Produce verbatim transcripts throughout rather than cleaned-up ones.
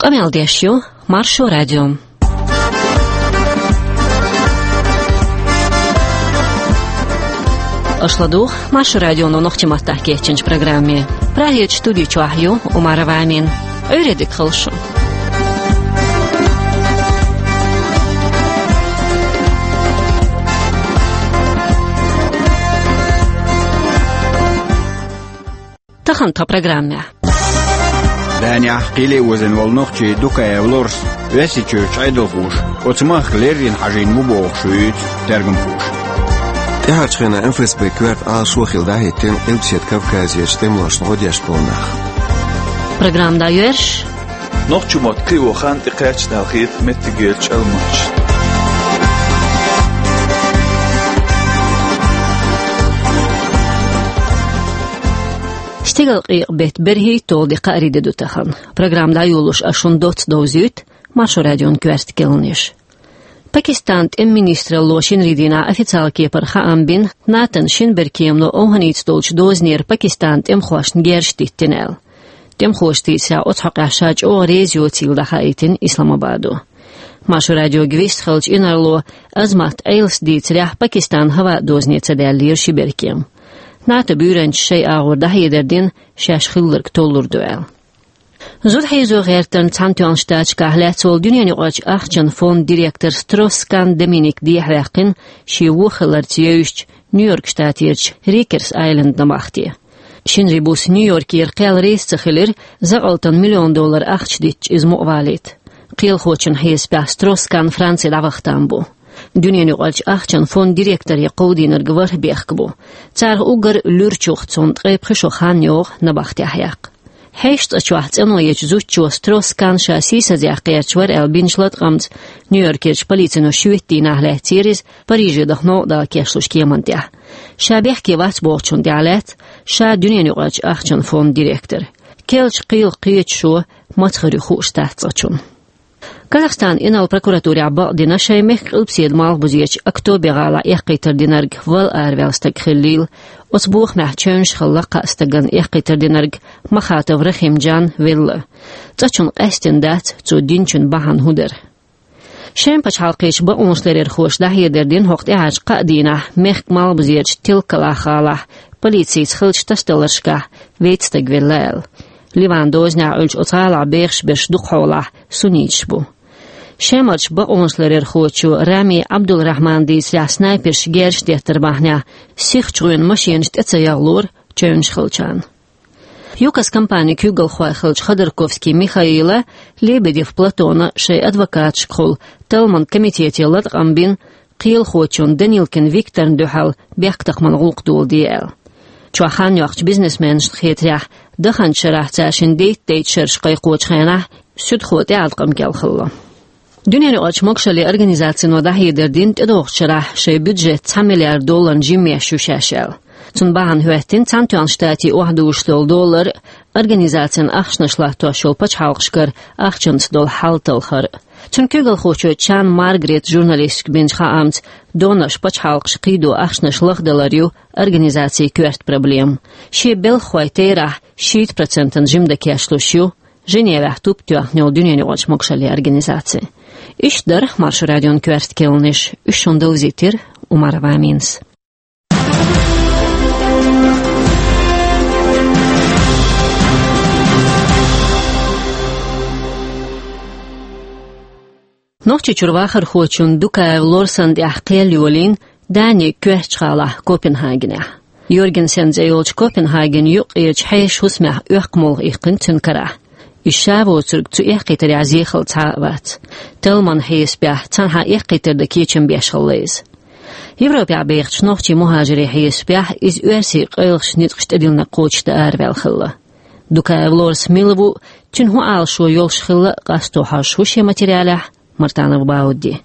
Къамел деш ю Маршо радио. Аша ладугӀу Маршо радионо нохчийн маттахь кечйинчу программе. Прагерчу студи чохь ю Умарова Амина. Ӏуьйре дика хуьлда шун. Тахана тхан программехь. Данехь кхеле а вазина волу нохчи Дукаев Лорс Оьрсийчуьрчу Ӏедалхоша оцу махка леррина хьажийна ву бохуш вуьйцу тергамхоша. ТӀаьхьарчу хенахь М Ф С Б коьрта Ӏалашо хилла дӀахӀиттина Къилбаседа Кавказерчу тӀемалошна гӀо деш болу нах. Программа дӀайоьрзуш. Нохчийн мотт кхио хан тӀекхаьчна аьлла хета меттигерчу Ӏилманчашна. Стигала къекъа беттан берхӀитталгӀа де, кхаарин де ду тахана. Программа дӀайолош ас шуна доцца довзуьйту Маршо радион коьрта кхаьънаш. Пакистанан тӀеман министралло шинарин дийнахь официалан кепара хаам бина, НАТОн шина беркемано ОвхӀанца долчу дозанера Пакистанан тӀемахошна герзаш диттина аьлла. ТӀемахоша дийцарехь, оцу хьокъехь ша чӀогӀа реза йоцийла дӀахаийтина Исламабадо. Маршо радиога вистхиллачу инарло Азмат Ӏелас дийцарехь, Пакистанан хӀаваан дозане ца даьллера ши беркем. НАТОн буьйранчаша шайн агӀор дӀахьедар дина, шаьш хилларг толлур ду аьлла. Зуда хьийзо гӀертарна Цхьаьнатоьхначу Штаташкахь лаьцна волу дуьненаюкъарчу ахчанан фондан директор Стросс-Кан Доминик дехьаваьккхина шен вон хиларца евзачу Нью-Йорк штатерчу Рикерс Айленд набахте. Шинарин буса Нью-Йоркера кхел реза ца хилира, закъалтана миллион доллар ахча диттича иза мукъавалийта. Кхелахочун хьесапехь Стросс-Кан Франци дӀаваха там бу. Дуьненаюкъарчу ахчанан фондан директоре кховдийнарг ворхӀ бехк бу. Царах уггар луьрачух, цунна ткъе пхи шо хан йогӀу набахтехь яккха. Хьешан цӀа чохь цӀено ечу зудчо Стросс-Кан ша сийсазъяха гӀерташ вара аьлла бинчу латкъамца Нью-Йоркерчу полицино шоьтан дийнахь лаьцнера иза, Париже даха новкъа дала кечлуш кеманна тӀехь. Ша бехке вац бохучунна тӀехь лаьцна, ша дуьненаюкъарчу ахчанан фондан директор. Керлачу кхелах кхечу шо маца хир ю хууш дац цкъачунна. Казахстанан инарла прокуратурехь бакъдина шайн мехкан къилбаседа малхбузечу Актобе-гӀалахь эккхийтар динарг вала араваьлла стаг хиллийла. Оцу бохамехь чевнаш хилла кхаа стагана эккхийтар динарг Махатов Рахимджан велла. ЦӀа чунна къаьстина дац, цо динчун бахьана хӀун дара. Шеман пачхьалкхерчу бакъонашларъярхоша дӀахьедар дина хӀокху тӀаьхьарчу кхаа дийнахь мехкан малхбузерчу Телкалах-гӀалахь полицица хиллачу тасадаларшкахь вейтта стаг велла аьлла. Ливанан дозанехь Ӏуьллучу оцу гӀалахь бехаш берш дукхахьолахь сунниташ бу. Шемарчу бакъонашларъярхочо Рами Ӏабдул-Рахьманан дийцарехь, снайперша герзаш деттар бахьанехь сихачу гӀоьнан машенаш тӀе ца ягӀлора чевнаш хиллачарна. ЮКОС компанин куьйгалхой хиллачу Ходорковский Михаила, Лебедев Платона шайн адвокаташкахула талламан комитете латкъам бина, кхелахочунна Данилкин Викторна дуьхьал бехктакхаман гӀуллакх доладе аьлла. Чохь хан йоккхучу бизнесменашна хетарехь, даханчу шарахь цара шина дейтта-дейтта шераш кхайкхочу хенахь суьдхо тӀеӀаткъам кӀел хилла. Дуьненаюкъарчу могушаллин организацино дӀахьедар дина тӀедогӀучу шарахь шайн бюджет цхьа миллиард долларна жимма еш ю шаьш аьлла. Цунна бахьана хӀоьттина Цхьаьнатоьхначу Штатийн охьадужуш долу доллар, организацин ахчанаш латтош йолу пачхьалкхашкара ахчанца долу хьал талхар. Цуьнан куьйгалхочо Чан Маргарет журналисташка бинчу хаамца, донорш пачхьалкхаша кхийдо ахчанаш лахдалар ю организацин коьрта проблема. Шен белхахойн терахь шийтта процентана жимма дан кечлуш ю Женевехь туп тоьхна йолу дуьненаюкъарчу могушаллин организаци. Иштта дара Маршо радион коьрта кхаьънаш, уьш шуна довзийтира Умарова Аминас. Нохчийчуьра вахархочун Дукаев Лорсан тӀехь кхел йолийна Данин коьртачу гӀалахь Копенгагенехь. Йоргенсен цӀе йолчу Копенгагенан юккъерчу хьешан хӀусамехь оьккху молха иккхина цуьнан карахь. Иза ша воцург цу эккхийтарехь зехалла цхьа а вац. Талламан хьесапехь, цхьанхьа эккхийтар дан кечам беш хилла иза. Европехь бехачу нохчийн мухӀажарийн хьесапехь, иза оьрсийн къайлахчу ницкъаша тӀедиллинарг кхочушдан араваьлла хилла. Дукаев Лорс мила ву, цуьнан хӀун Ӏалашо йолуш хилла, къасто хьожуш ву шен материалехь Мартанов Бауди.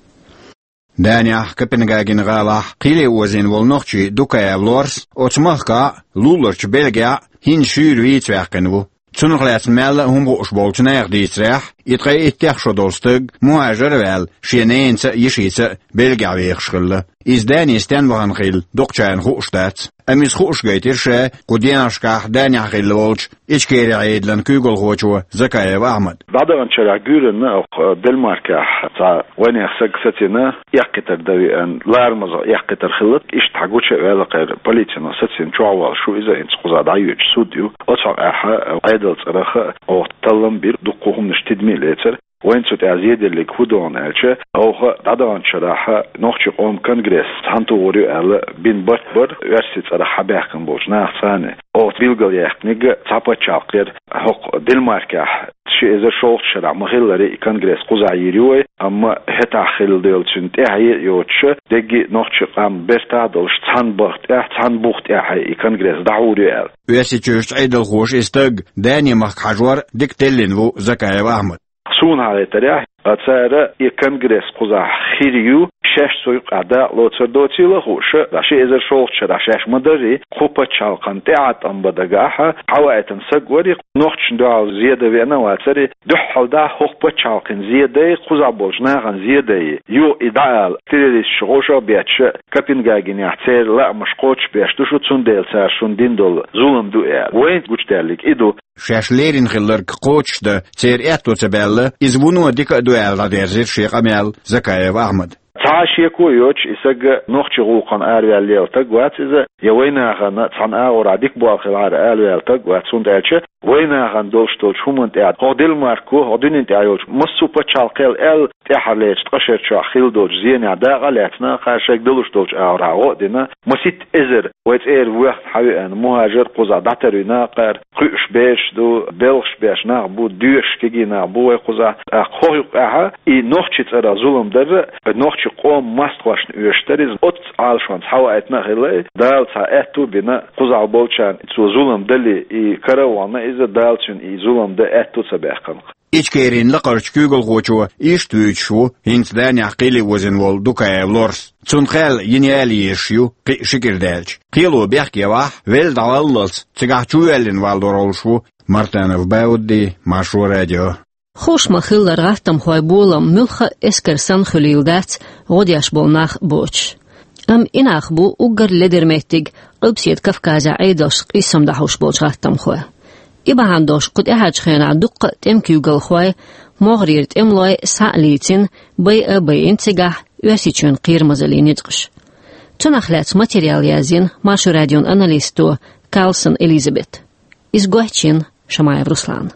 Данехь Копенгагенан гӀалахь кхеле озийна волу нохчи Дукаев Лорс оцу махкахь а, луларчу Бельгехь а хӀинца шуьйра вийца ваьккхина ву. Цунах лаьцна мелла а хӀума хууш болчу нехан дийцарехь, И ткъе иттех шо долу стаг, мухӀажар а ваьлла, шен ненаца а, йишица а Бельгехь вехаш хилла. Иза Дани стенна вахана хилла, дукхачарна хууш дац. Амма иза хууш гайтира ша кху деношкахь Данехь хилла волчу Ичкерин Ӏедалан куьйгалхочо Закаев Ахьмада. ДӀадаханчу шарахь гуьйранна оха Денмаркехь цхьа вайнехан саг сацийна, эккхийтар дан веана, ларамаза эккхийтар хилла, иштта хьан гуча а ваьлла кхайра полицино сацийна чохь волуш ву иза, хӀинца кхузахь дӀайоьдуш суд ю. Оцу хьокъехь Ӏедалан цӀарах оха таллам бира, дуккха а хӀуманаш тидаме а лецара. Вайна цу тӀехь зеделлиг хӀун ду аьлча, оха дӀадаханчу шарахь нохчийн къоман конгресс цхьаьнатухур ю аьлла бина барт бара, оьрсийн цӀарах хьабаьхкина болчу нахаца цхьаьна. Оха билгалъяьккхинарг цхьа пачхьалкх яра хӀокху Денмаркехь. Ши эзар шолгӀачу шарахь ма-хиллара и конгресс кхузахь йийр ю вай, амма хӀетахь хилла долчунна тӀаьхье а йоцуш, дерриге а нохчийн къам бертахь а долуш, цхьана бахка тӀехь, цхьана буха тӀехь и конгресс дӀахьур ю аьлла. Оьрсийчуьрчу Ӏедалхоша и стаг Дани-махка хьажор дика теллина ву Закаев Ахьмада. Суна хьахийтарехь, а, цара и конгресс кхузахь хир ю, шаьш цу юкъахь дакъа лоцур доцийла а хууш, ши эзар шолгӀачу шарахь шаьш ма-дарра, кху пачхьалкхан тӀаьхьа тӀом бан дагахь, хьаваийтина саг вара, нохчашна дуьхьал зе дан веана а вацара, дуьххьал дӀа хӀокху пачхьалкхан зе дай, кхузахь болчу нахана зе дай, юха и дӀаала, террористаш гӀовшах а бетташ, Копенгагенехь церан лаамаш кхочушбеш ду шу, цундела цара шуна дина долу зулам ду аьлла. Вайна гучудаьллиг и ду. Шаьш леррина хилларг кхочушдан церан аьтто ца баьлла, иза вуно дика а ду аьлла, дӀадерзира шен къамел Закаев Ахьмада. Цхьа а шеко а йоцуш, и саг нохчийн гӀуллакхана араваьлла лела стаг вац иза, я вайнахана цхьана агӀорахь дика болу хилахьара араваьлла стаг вац, хӀунда аьлча вайнахана долуш долчу хӀуманна тӀехь, хӀокху Денмарко, хӀокху дуьненна тӀехь йолчу массо а пачхьалкхел аьлла, тӀаьххьарлерчу ткъа шарчохь хилла долчу зенехь дакъа а лаьцна, кхара шайга далуш долчу агӀорахь гӀо а дина, масийтта эзар вай цӀера воьхна хьан веана мухӀажар кхузахь дӀатарвина кхара, кхуьуш бераш ду, белхаш беш нах бу, доьшуш кегий нах бу вай кхузахь. ТӀаккха хӀокху юкъахь и нохчийн цӀарах зулам дар, нохчийн къоман мостагӀашна оьшуш дара иза, оццу Ӏалашонца хьаваийтина а хилла, Дала цхьа аьтту а бина, кхузахь болчарна цо зулам дале, и кара а вахана иза, Дала цуьнан и зулам дан аьтту ца баьккхина. Ичкерин лакхарчу куьйгалхочо иштта вуьйцуш ву хӀинца Данехь кхеле возина волу Дукаев Лорс. Цунна хаьлла йина яла езаш ю, кхин а ши кӀира даьлча. Кхело бехке вахь, велла дӀаваллалц, цигахь чувоьллина валлалур волуш ву. Мартанов Баудди, Маршо радио. Хууш ма-хиллара, гӀаттамхойн болам муьлхха а эскар санна хуьлийла дац, гӀо деш болу нах боцуш. Амма и нах бу уггар ледара меттиг Къилбаседа Кавказехь Ӏедалшца къийсам дӀахьуш болчу гӀаттамхойн. И бахьана долуш кху тӀаьхьарчу хенахь дуккха а тӀеман куьйгалхой, могӀарера тӀемалой схьа а лийцина, байа а байина цигахь Оьрсийчоьнан кхерамазаллин ницкъаш. Цунах лаьцна материал язйина Маршо радион аналисто Карлсон Элизабета. Иза гочйина Шамаев Руслана.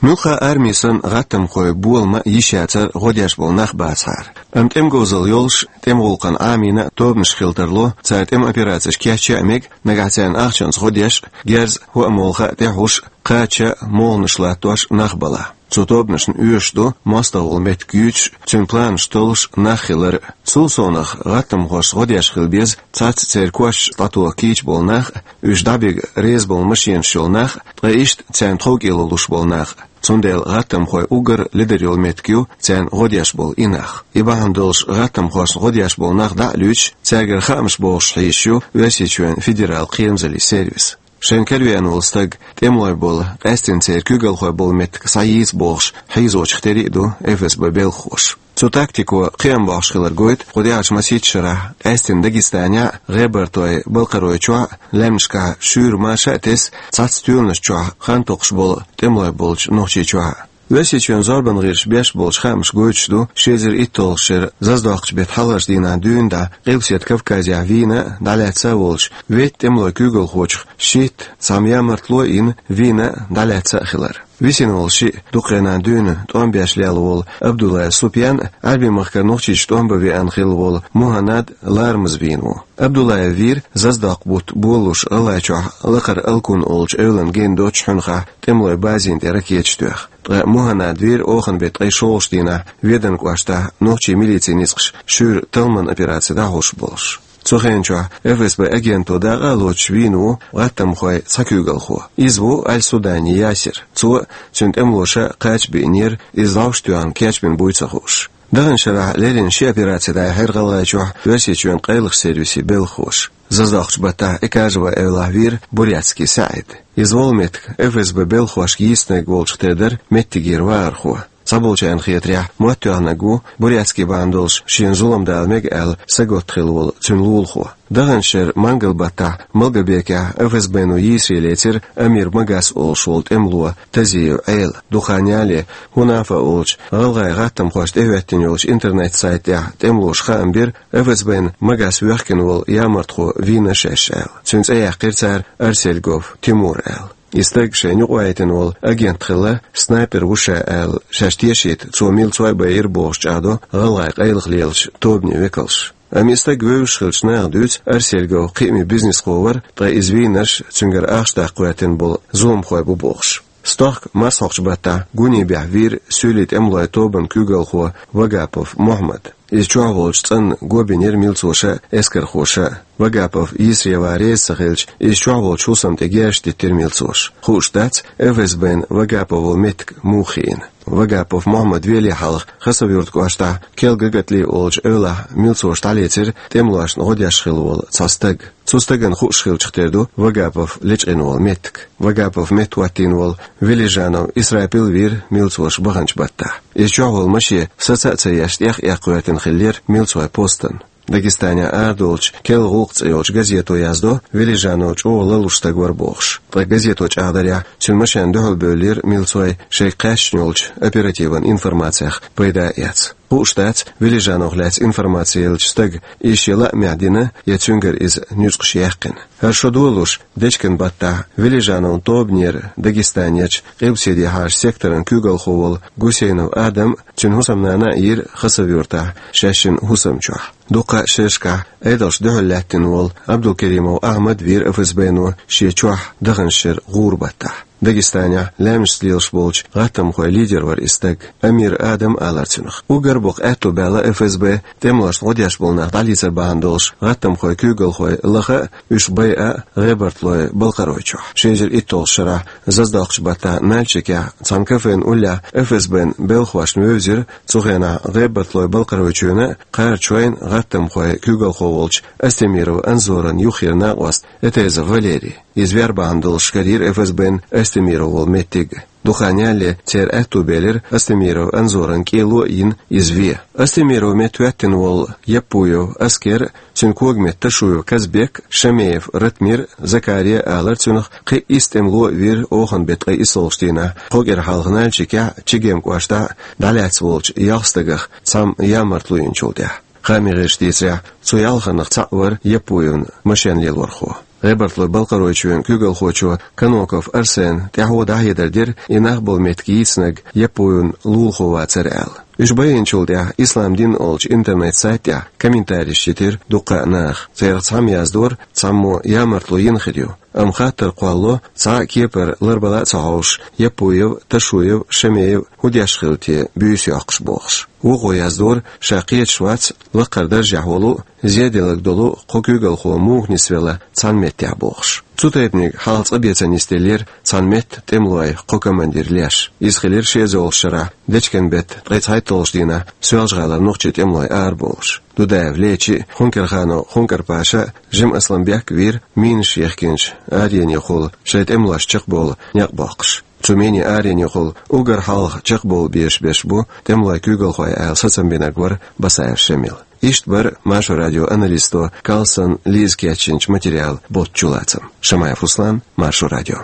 Муьлхха а арми санна, гӀаттамхойн болам а йиш яцара гӀо деш болу нах бацахьара. Амма тӀеман говзалла йолуш, тӀеман гӀуллакхана Ӏамийна а тобанаш хила тарло, цара тӀеман операцеш кечъян а мега, нагахь царна ахчанца гӀо деш а, герз а, хӀоа-молха а тӀехьуш а, кхача а, молханаш латтош а нах балахь. Цу тобанашна оьшуш ду мостагӀа волу меттиг юьйцуш а, цуьнан планаш толлуш а нах хилар а. Цул совнах гӀаттамхошца гӀо деш хила беза цхьацца церан кошта дӀатоха кийча болу нах а, уьш дӀабига реза болу машенаш йолу нах а, ткъа иштта царна тховкӀело луш болу нах а. Цундела гӀаттамхойн уггар ледара йолу меттиг ю царна гӀо деш болу и нах. И бахьана долуш гӀаттамхошна гӀо деш болу нах дӀа а луьйцуш, цаьргара хаамаш бохуш хьийзаш ю Оьрсийчоьнан федералан кхерамазаллин сервис. Шайн каравеана волу стаг тӀемалой болу, къаьсттина церан куьйгалхой болу меттиг схьайийца бохуш хьийзочух тера а ду ФСБ белхахоша. Цу тактико кхиам бохьуш хилар гойту кху тӀаьхьарчу масийтта шарахь, къаьсттина Дагестанехь а, ГӀебартойн-Балкхаройчохь а, лаьмнашкахь шуьйра маша а тесна, цхьацца стоьланаш чохь хан токхуш болу тӀемалой болчу Нохчийчохь а. Оьрсийчоьнан зорбан гӀирсаша беш болчу хаамаша гойтуш ду, ши эзар итталгӀачу шеран заздоккхучу беттан хьалхарчу дийнахь дуьйна дӀа Къилбаседа Кавказехь вийна а, дӀалаьцна а волчу ветта тӀемалойн куьйгалхочух шийтта, цхьамма ямартло а йина, вийна а, дӀалаьцна а хилар. Висина волу шиъ, дукха хенахь дуьйна тӀом беш лелла волу Абдуллаев Супьян а, Ӏаьрбийн махкара Нохчийчу тӀом бан веана хилла волу Муханнад ларамаза вийна ву. Абдуллаев вийра заздоккху бутт болалуш ГӀалгӀайчохь Лакхара Алкун олучу эвлана гена доццуш хьуьнхахь тӀемалойн базина тӀе ракеташ тоьхна. Ткъа Муханнад вийра оханан беттан ткъе шолгӀачу дийнахь Веданан кӀоштахь нохчийн милицин ницкъаша шуьйра талламан операци дӀахьош болуш. Цу хенан чохь ФСБ агенто дакъа а лоцуш вийна ву гӀаттамхойн цхьа куьйгалхо. Иза ву Аль-Судани Ясир. Цо а, цуьнан тӀемалоша а кхача биънера, иза ловш тоьхна кечбина буй ца хууш. Даханчу шарахь леррина ши операци дӀаяьхьира ГӀалгӀайчохь Оьрсийчоьнан къайлахчу сервисийн белхахоша. Заздоккхучу баттахь Экажево эвлахь вийра Бурятский СаьӀид. Иза волу меттиг ФСБ белхахошка йийцинарг волчух тера дара меттигера вахархо. Цхьаболчарна хетарехь, моттоьхнарг ву Бурятский бахьана долуш шена зулам дала мега аьлла, сагатта хилла волу цуьнан лулахо. Даханчу шеран мангал-баттахь Малгобекехь ФСБ-но йийсаре лецира Амир Магас олуш волу тӀемало Тазиев Ӏела. Дукха хан ялале, Хунафа олучу гӀалгӀайн гӀаттамхошна тӀехӀоьттина йолчу интернет-сайта тӀехь тӀемалоша хаам бира, ФСБ-н Магас воьхкина волу ямартхо вийна шаьш аьлла. Цуьнан цӀе яьккхира цара Арсельгов Тимур аьлла. И стаг шайна юкъавайтина волу агент хилла, снайпер ву ша аьлла, шаьш тешийта, цо милцой байира бохуш чӀагӀдо гӀалгӀайн къайлаха лелачу тобанийн векалша. Амма и стаг вевзаш хиллачу наха дуьйцу Арсельгов кхиаме бизнесхо вара, ткъа иза вийнарш цуьнгара ахча даккха гӀоьртина болу зуламхой бу бохуш. Стохка марсхьокхучу баттахь Гунибехь вийра суьйлийн тӀемалойн тобанан куьйгалхо Вагапов Мухьаммад. Иза чохь волчу цӀанна го бинера милцоша а, эскархоша а. Вагапов йийсаре ван реза ца хилча, иза чохь волчу хӀусамна тӀе герзаш диттира милцоша. Хууш дац, ФСБ-н Вагаповн волу меттиг муха хиъна. Вагапов Мухьаммад веле хьалха Хасавюрт кӀоштахь Келга ГатӀлий олучу эвлахь милцоша дӀалецира тӀемалошна гӀо деш хилла волу цхьа стаг. Цу стагана хууш хиллачух тера ду Вагапов лечкъина волу меттиг. Вагапов меттахӀоттийна волу Велижанов Исрапил вийра милцоша баханчу баттахь. Иза чохь волу машен саца а ца еш, тӀех а эккха гӀоьртина хиллера милцойн постан. Дагестанехь арадолучу Кел гӀуллакх цӀе йолчу газето яздо, Велижанов чӀогӀа ларлуш стаг вара бохуш. Ткъа газето чӀагӀдарехь, цуьнан машен дуьхьал бевллера милцой, шайга кхаьчна йолчу оперативан информацех пайда а эцна. Хууш дац, Велижановх лаьцна информаци еллачу стага иза шен лаамехь дина я цуьнгара иза нуьцкъаш яьккхина. ХӀара шо долуш, дечкен баттахь Велижановн тобанера Дагестанерчу Къилбаседехьарчу секторан куьйгалхо волу Гусейнов Адам а, цуьнан хӀусамнана а йийра Хасавюртахь шаьшшинна хӀусам чохь. Дуккха а шерашкахь Ӏедалшна дуьхьал лаьттина волу Абдулкеримов Ахьмад вийра ФСБ-но шен чохь даханчу шеран гӀура баттахь. Дагестанехь лаьмнашца лелаш болчу гӀаттамхойн лидер вара и стаг, Амир Адам алара цунах. Уггар боккха аьтто баьлла ФСБ тӀемалошна гӀо деш болу нах дӀалецар бахьана долуш гӀаттамхойн куьйгалхой лаха а, уьш байа а ГӀебарталойн-Балкхаройчохь. Ши эзар итталгӀачу шарахь заздоккхучу баттахь Нальчикехь цхьана кафен уллехь ФСБ-н белхахошна вевзира цу хенахь ГӀебарталойн-Балкхаройчоьнан а, Кхарачойн а гӀаттамхойн куьйгалхо волчу Астемиров Анзоран юххера накъост Этезов Валерий. Иза вер бахьана долуш карийра ФСБ-н Астемиров волу меттиг. Дукха хан ялале церан аьтто белира Астемиров Анзоран кӀело а йина иза вен. Астемиров метта хӀоьттина волу Яппуев Аскер а, цуьнан когаметта Ташуев Казбек а, Шамеев Ратмир а, Закари а алара цунах, кхин а исс тӀемало а вийра оханан беттан ткъе иссалгӀачу дийнахь кхо кӀира хьалха Нальчикехь а, Чегем кӀоштахь а дӀалаьцна волчу ялх стагах цхьамма ямартло йинчул тӀаьхьа. Хааман гӀирсаша дийцарехь, цу ялханнах цхьаъ вара Яппуевн машен лелорхо. ГӀебарталойн-Балкхаройчоьнан куьйгалхочо Каноков Арсенна тӀаьхьо дӀахьедар дира, и нах болу меттиг йийцинарг Яппуевн лулахо вацара аьлла. Уьш байинчул тӀаьхьа Ислам дин олучу интернет-сайта тӀехь комментарийш йитира дуккха а наха. Церах цхьамма яздора, цхьаммо ямартло йина хир ю. Амма хаттар кхоллало, цхьа а кепара ларбала а ца хьовсуш, Яппуев, Ташуев, Шамеев хӀун деш хилла те буьйса йоккхуш бохуш. Вукхо яздора, ша кхеташ вац лакхара даржехь волу а, зеделларг долу а кхо куьйгалхо муха нисвелла цхьана меттехь бохуш. Цу тайпаниг хьалха цкъа бен ца нисделлера цхьана метта тӀемалойн кхо командир леш. Иза хилира ши эзарлагӀчу шарахь дечкен беттан ткъе цхьайтталгӀачу дийнахь Соьлжа-ГӀалара нохчийн тӀемалой арабовлуш. Дудаев Лечи а, Хункерханов Хункар-Паша а, Жим-Асланбек а вийра минаш яхкинчу аренехула шайн тӀемалошна чекхбовла некъ боккхуш. Цу минийн аренехула уггар хьалха чекхбовла безаш берш бу тӀемалойн куьйгалхой аьлла сацам бинарг вара Басаев Шамил. Иштта бара Маршо радион аналисто Карлсон Лиза кечйинчу материалан боцчу лацам. Шамаев Руслан, Маршо радио.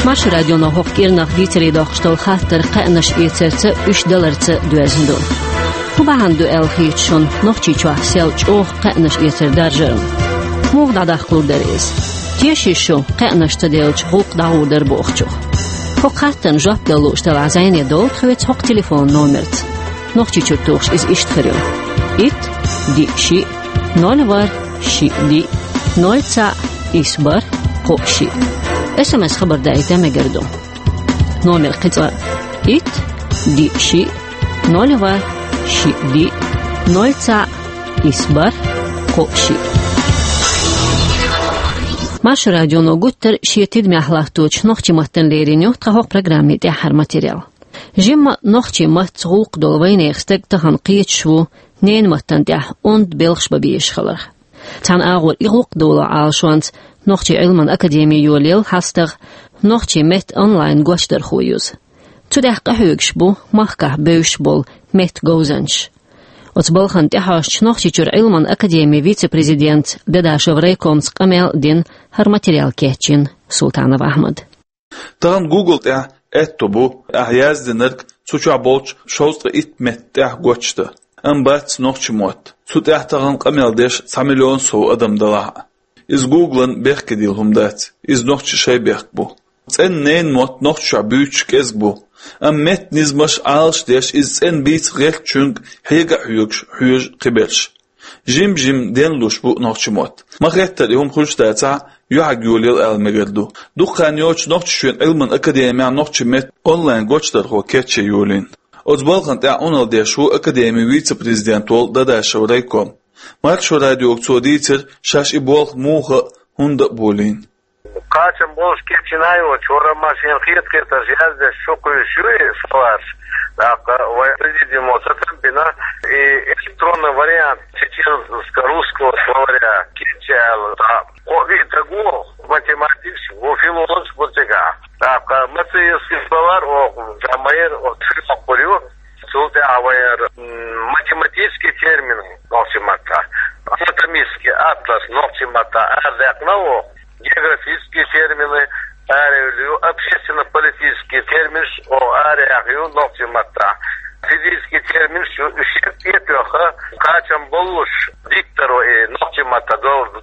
Маршо радионо хӀокху кӀирнах дийцаре доккхуш долу хаттар кхаьънаш эцарца, уьш даларца доьзна ду. ХӀун бахьана ду аьлла хеташ шуна Нохчийчохь сел чӀогӀа кхаьънаш эцар даржарна? Муха дӀадаккхалур дара иза? Тешийша шу кхаьънаш ца делча гӀуллакх дӀагӀур дара бохучух? ХӀокху хаттарна жоп дала лууш делахь, зӀене довла тхоьца хӀокху телефонан номерца. Нохчийчуьра тухуш иза иштта хир ю: итт, диъ, шиъ, ноль, ворхӀ, шиъ, диъ, ноль, цхьаъ, исс, бархӀ, кхоъ, шиъ. СМС хабар даийта мегар ду. Номер кхин цкъа: итт, диъ, шиъ, ноль, ворхӀ, шиъ, диъ, ноль, цхьаъ, исс, бархӀ, кхоъ, шиъ. Маршо радионо гуттара шен тидамехь латточу нохчийн маттана лерина ю тхан хӀокху программин тӀаьххьара материал. Жимма нохчийн маттаца гӀуллакх долу вайнехан стаг тахана кхеташ ву ненан маттана тӀехь онда белхаш бан безаш хиларх. Цхьана агӀор и гӀуллакх долу Ӏалашонца Нохчийн Ӏилман академи йолаелла хьастагӀа нохчийн меттан онлайн гочдархо юза. Цу тӀехь къахьоьгуш бу махкахь бевзаш болу меттан говзанчаш. Оцу балхана тӀехьожучу Нохчийчуьра Ӏилман академи вице-президентца, Дадашев райкомца къамел а дина, хӀара материал кечйина Султанов Ахьмада. Тахана Google тӀехь аьтто бу, ахь яздинарг цу чохь болчу шовзткъе итт меттан тӀехь гочдан. Амма бац нохчийн мотт. Цу тӀехь тахана къамел деш цхьа миллион сов адам далахь а. Иза Google-ан бехкедийла хӀума дац. Иза нохчийн шайн бехк бу. ЦӀена ненан мотт нохчашкахь буьйцуш кӀезиг бу. Амма меттан низамаш Ӏалашдеш, иза цӀена бийца гӀертачуьнга хьега а хьоьгуш, хьоьжу кхиберш. Жим-жим денлуш бу нохчийн мотт. Ма-хеттара и хӀума хуьлуш дацахь а, юьхьиг йолаелла ала мегар ду. Дукха хан йоццуш Нохчийчоьнан Ӏилман академехь нохчийн меттан онлайн гочдархо кечйина йолийна. Оцу балхана тӀехь Ӏуналла деш ву академин вице-президент волу Дадашев райком. Маршо радиога цо дийцира, шаьш и болх муха а, хӀунда а болийна. Кхачам болуш кечйина йоцуш, вара ма шена хета-хетарш яздеш чу кхуьйсуш ю и словарш. ТӀаккха вайн президиумо сацам бина, и электронный вариант чеченско-русского словаря кечйина аьлла, тӀаккха кхо-виъ стаг ву, математикаш ву, филологаш бу цигахь. ТӀаккха Мациевский словарь оха жамайр, оха филологаш ю, цул тӀаьхьа вайн, м, математический термин нохчийн маттахь, анатомический атлас нохчийн маттахь арадаьккхина оха. Географические термины араяьлла ю, общественно-политические терминаш оха араяьхна ю нохчийн маттахь. Физические терминаш ю, уьш шиъ тӀе а тоьхна, кхачам боллуш, дикторо и нохчийн маттахь долуш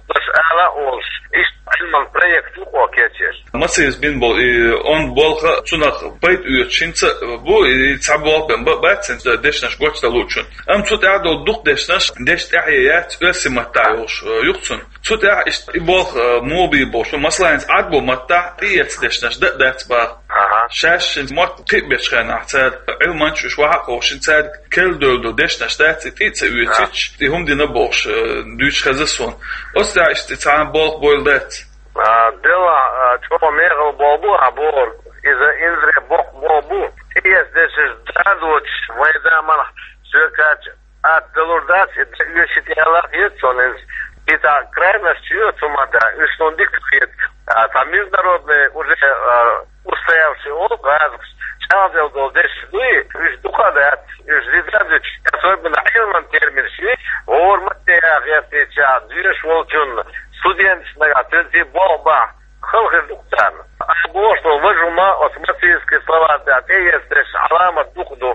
ала а олуш, иштта Ӏилман проект ву оха кечъеш. Мациевс бина болу и онда болх а, цунах пайда оьцуш хӀинца а бу, и цхьа болх бен ба-, бац хӀинца дешнаш гочдан луучун. Амма цу тӀехь долу дукха дешнаш, дешна тӀаьхье яц оьрсийн маттахь йолуш, э, юха цунна. Цу тӀехь иштта и болх, э, муха бийр бохуш, масала, хӀинца Ӏаьрбойн маттахь тӀеэцна дешнаш дан а дац боху. Ага. Шаьш хӀинца мотт кхиабечу хенахь цара, Ӏилманчаш уьш вахьа а кховдуш, цаьрга керла девлла долу дешнаш дац, и тӀе а ца оьцуьйтуш, и хӀума дина бохуш, э, дуьйцуш хезна суна. Оцу тӀехь иштта цхьа болх бойла дац. А, делахь, а, чӀогӀа мехала болх бу ахь бохург, иза инзаре боккха болх бу. ТӀеэцна дешнаш дан доцуш, вайн заманахь соьга кхаьчча, атта далур дац, и дан оьшуш ю аьлла хета суна иза. И цхьа крайность ю цу маттахь, уьш суна дика хета. А, цхьа международный уже, а, устоявшийся олу гӀазакхаш, чӀагӀделла долу дешнаш дуй, уьш дукха а дац, уьш диза а дуьтуш, особенно Ӏилман терминаш ю, гӀора маттаца гӀертийча, доьшуш волчунна, студенташна нагахь цуьнца болх бахь, хала хир ду-кх царна. Ахь бохуш долу важа хӀума оцу Мациевский словарь тӀехь тӀеэцна дешнаш Ӏаламат дукха ду.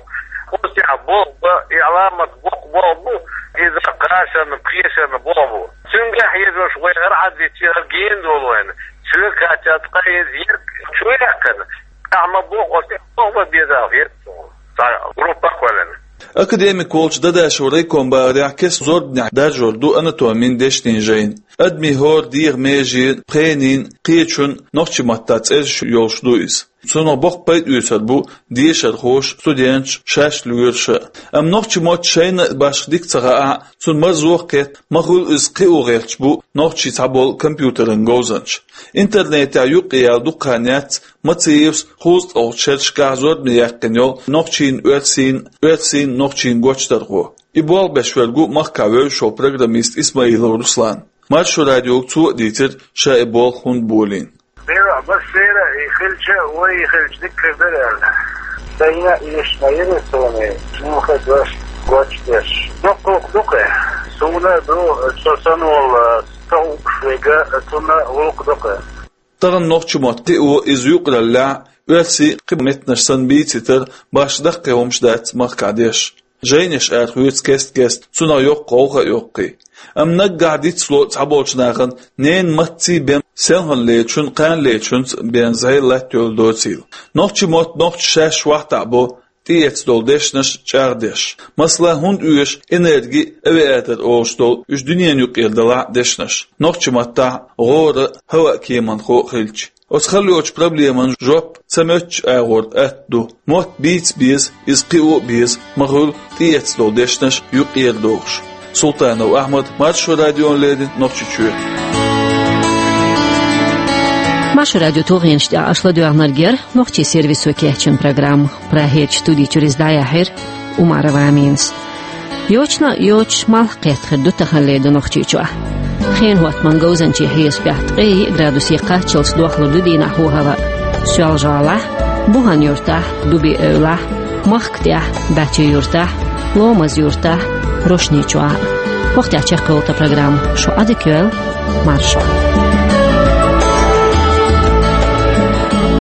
Оцу тӀехь болх бан и Ӏаламат боккха болх бу, иза кхачанна, кхечанна болх бу. Цуьнга хьежош вай хӀара хьаддича, хӀара гена долу вайна. Соьга кхаьчча, ткъа иза ерг чу яьккхина, ахь ма боху, оцу тӀехь болх бан беза хета суна, цхьа группа а кхоьллина. Академик волчу Дадашев райкоман бахарехь, кеста зорбанехь даржор ду анатомин дешнийн жайна. Адамийн хӀора дегӀан меженан, пхенийн, кхечун нохчийн маттахь цӀераш йолуш ду иза. Цунах боккха пайда оьцур бу дешархоша, студенташа, шаьш лоьраша а. Амма нохчийн мотт шайна а башха дика ца хаахь а, цунна марзо а кхетта, ма-хуьллу иза кхио гӀерташ бу нохчийн цхьаболу компьютеран говзанчаш. Интернетехь юккъе яьлла дукха хан яц Мациевс кхузткъалгӀачу шерашкахь зорбане яьккхина йолу нохчийн, оьрсийн, оьрсийн, нохчийн гочдархо. И болх беш верг ву махкахь вевзаш волу программист Исмаилов Руслан. Маршо радиога цо а дийцира, ша и болх хӀунда болийна. Дера, баш дера, и хилча, вай и хилча дика хир дара аьлла. Сайна а эшна йира суна, муха дош гочдеш. Доккхалх ду-кх, суна а ду, со санна волу, со угуш вега, цунна гӀуллакх ду-кх. Тахана нохчийн мотт кхио, иза юкъараллехь, оьрсийн, кхин меттанаш санна бийцитар башха даккхий хӀумаш дац махкахь деш. Жайнаш арахоьцу кест-кеста, цунах йоккха гӀовгӀа а йоккхий. Амма наггахь дицло цхьаболчу нахана ненан маттаций бен селхана лечун, кхана лечунца бен зӀе латта йолу доцийла. Нохчийн мотт нохчаша шаьш вахтахь бо, тӀеэцна долу дешнаш чӀагӀдеш. Масала, хӀунда оьшу энерги, авиатор олуш долу уьш дуьненан юкъера далахь а дешнаш. Нохчийн маттахь гӀора а, хӀаваъ кеманхо а хилча. Оцу хала йоцучу проблеман жоп ца моьттучу агӀор атта ду. Мотт бийца беза, иза кхио а беза, ма-хуьллу тӀеэцна долу дешнаш юкъера дохуш. Султанов Ахьмад, Маршо радиона леррина, Нохчийчоь. Маршо радион тулгӀенаш тӀехь аша ладоьгӀнарг яра нохчийн сервисо кечйина программа. Прагерчу студи чуьра иза дӀаяьхьира Умарова Аминас. Йочана а йоцуш, малх кхетта хир ду таханлера ду Нохчийчохь. Хенан хӀоттаман говзанчийн хьесапехь ткъе йиъ градусе кхаччалц дохлур ду дийнахь хӀаваъ. Соьлжа-ГӀалахь, Бухан-Юьртахь, Дуби-Эвлахь, Махка тӀехь, БӀачий-Юьртахь, Ломаз-Юьртахь, Рошничохь. ХӀокху тӀехь чекхйолу тхан программа. Шу Ӏадика йойла, маршалла.